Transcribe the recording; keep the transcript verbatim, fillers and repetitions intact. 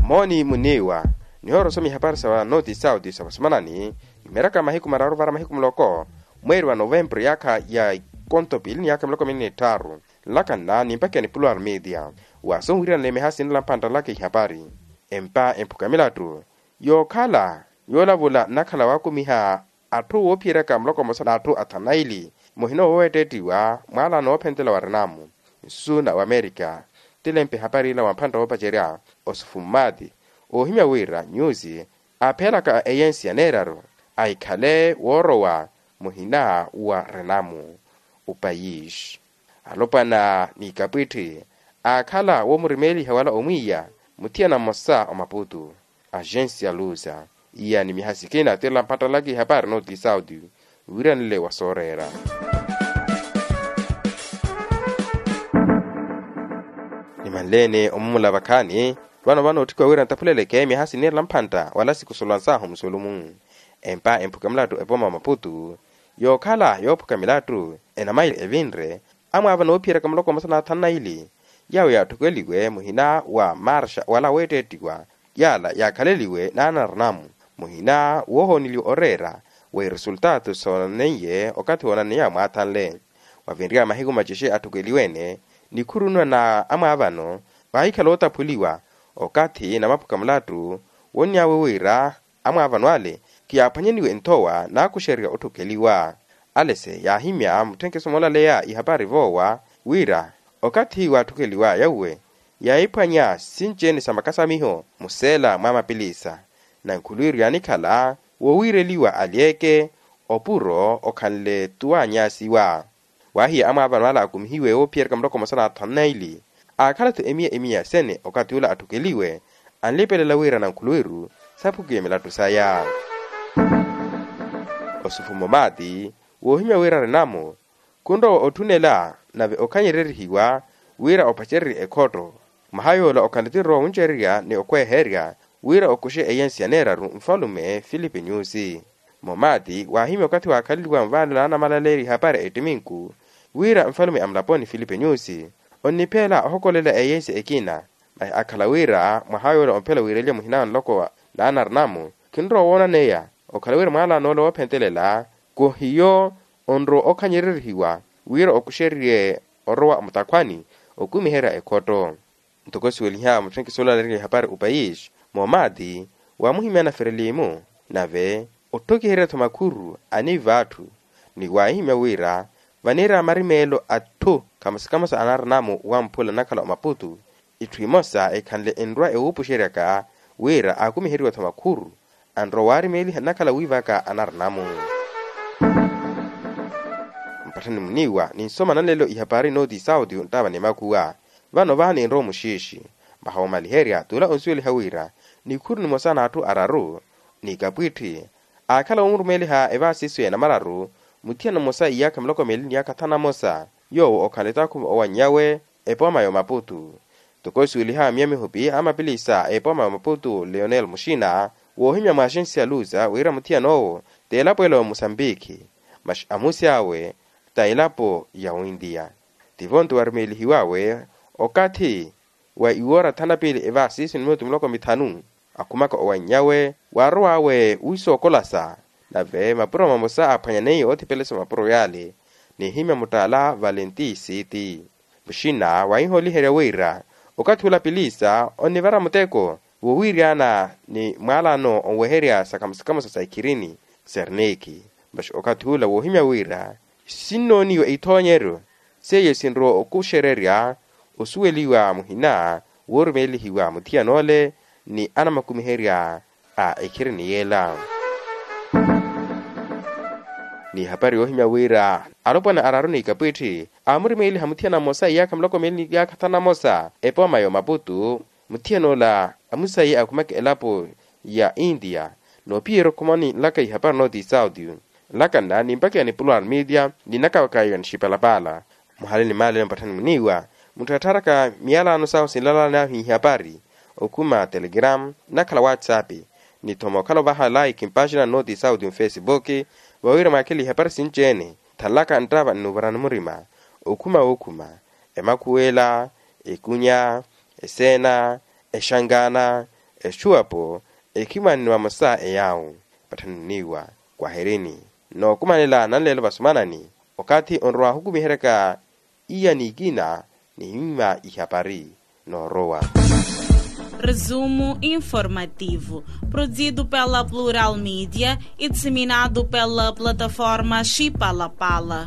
Mooni muniiwa, nihoora osoma ihapari sa noti sauti sa vasomanani, imiraka mahiku mararu vara mahiku muloko, mweeri wa novempuru yaakha ya ikonto piili ni yaakha miloko minni n'itthaaru. Nlakanna nimpakiya ni puluwari media, wa sonwiiranela mihaasi nila mphantta nlaka ihapari. Empa emphuka milattu yookhala yoolavula nnakhala waakumiha atthu woophiyeryaka muloko mmosa n'atthu athanu na ili, muhina wooweettettiwa mwaalaano woophentela wa renamu nsu na wamerika. Tilempe ehapari ila wa mphantta woopacerya osufummati, oohimya wira nyusi aaphelaka eyensi ya neeraru ahikhale woorowa muhina wa renamu upayisi. Alopwana n'ikapwitthi aakhala woomurimeliha wala omwiiya muthiyana mmosa omaputu. Agensi ya luza iya ni mihasikina tila mpattalaka ihapari nooti sauti wiiranile wa sooreera. Nimanleene omumula vakhaani vano vano otthikwa wira ntaphuleleke mihasi niirela mphantta wala sikusolwansaahu musolumu. Empa emphuka milattu epooma wa maputu yookhala yoophuka milattu enamayi evinre amwaavana oophiyeryaka muloko mmosa n'athanu na ili yaawo yaatthukweliwe muhina wa marxa wala weettettiwa yaala yaakhaleliwe naanaranamu muhina woohooneliwa oreera wa iresultaatu soonaneiye okathi woonaneiya mwaathanle. Wavinryaya mahiku macixe atthukeliwe-ene nikhurunwa na amwaavano waahikhala ootaphuliwa okathi namaphuka mulattu wonnyawe wira amwaavano ale khiyaaphwanyaniwe nthowa naakuxererya otthukeliwa. Alese yaahimya mutthenkeso moolaleya ihapari voowa wira okathi waatthukeliwa yauwe yaahiphwanya sinci-ene sa makasamiho museela mwa mapilisa. Nankhulwiru yaanikhala woowiireliwa alyeeke opuro okhanle tuwaanyasiwa. Waahiya amwaavano ala akumihiwe woophiyereka muloko mmosa n'athanu na ili aakhala-tho emiya emiya sene okathi ula atthukeliwe anlipelela wira nankhulwiru saphukiwe milattu saya. Osufumo maati woohimya wira renamu khunrowa otthunela nave okhanyererihiwa wira opacererye ekhotto. Mwaha yoola okhanle tinrowa wuncererya ni okhweherya wira okuxe eyensi ya neeraru nfalume filipe nyusi. Momati waahimya okathi waakhaleliwa nvaalo naanamalaleerya ihapari ettiminku wira nfalume a mulaponi filipe nyusi onniphela ohokolela eyensi ekina. Masi akhala wira mwaha yoola omphela wiireliwa muhina wa nloko naanaranamu khinrowa woonaneya okhala wira mwaalaano ola woophentelela khuhiyo onrowa okhanyererihiwa wira okuxererye orowa mutakhwani okumiherya ekhotto. Ntoko siweliha mutthenkiso olaleriwa ihapari upayisi moomati waamuhimya naferelimu nave otthokiherya-tho makhuru aniiva atthu ni waahimya wira vaniira marimeelo atthu kamosa kamosa anaaranamu wamphula nnakhala omaputu itthu imosa ekhanle enrwa ewuupuxeryaka wira aakumiheriwa-tho makhuru anrowa waarimeeliha nnakhala wiivaka anaranamu. Mpatthani muniiwa ninsoma nanlelo ihapari nooti sauti nttaava ni makuwa vano vaha ninrowa omuxiixi. Mwaha woomaliherya t'ula onsuweliha wira nikhuru nimosa n'atthu araru n'ikapwiitthi aakhala woomurumeeliha evaasiso ya namararu muthiyana mmosa iyaakha miloko meeli n'iyaakha thanu na mmosa yoowo okhanle taakhuva owannyawe epooma y'omaputu. Ntoko osuweliha miya mihupi a mapilisa a epooma ya maputu leonel muxina woohimya mwaaxensi ya luza wira muthiyan'owo t'elapo ela wa musambikhi masi amusi awe ta elapo ya wintiya. Tivo-nto warimeelihiw'awe okathi wa iwoora thanu na piili evaasiso ni minutu miloko mithanu akhumaka owannyawe waarow'awe wiisookolasa nave mapuro mamosa aaphwanyaneiye oothipelesa mapuro yaale. Niihimya muttaala valenti siiti muxina waahihooliherya wira okathi ula pilisa onnivara muteko woowiiryana ni mwaalaano onweherya sa kamosa kamosa sa ikhirini serniki. Masi okathi ula woohimya wira sinnooniwa ithoonyeryo seiyo sinrowa okuxererya osuweliwa muhina woorumeelihiwa muthiyan'ole ni anamakumiherya a ekhirini y'ela. N'ihapari yoohimya wira alopwana araru n'ikapwiitthi aamurimeeliha muthiyana mmosa iyaakha miloko miili n'iyaakha thanu na mmosa epooma y'omaputu. Muthiyan'ola amusaiye akhumaka elapo ya intiya noophiyerya okhumani nlaka ihapari nooti sauti nlaka nna nimpakiya ni pulwari media ni nnakawakayo ni xipalapaala. Muhale ni maale mpatthani muniiwa mutthattharaka miyalaano sahu sinlalaan'ahu ihapari okhuma telegram nnakhala whatsapp ni thoma okhala ovaha like mpaxina nooti sauti nfacebook vawira mwakhele ihapari sinci-ene thanlaka nttava nnuuvarani murima okhuma wookhuma emakhuwela ekunya eseena exankaana Exuwapo ekhimwanne vamosa eyaawu. Patthanniwa kwahirini nookumanela nanleelo vasumanani. Okathi onrowa ohukumiheryaka iya n'ikina nihimmwa ihapari noorowa. Resumo informativo, produzido pela Plural Media e disseminado pela plataforma Chipalapala.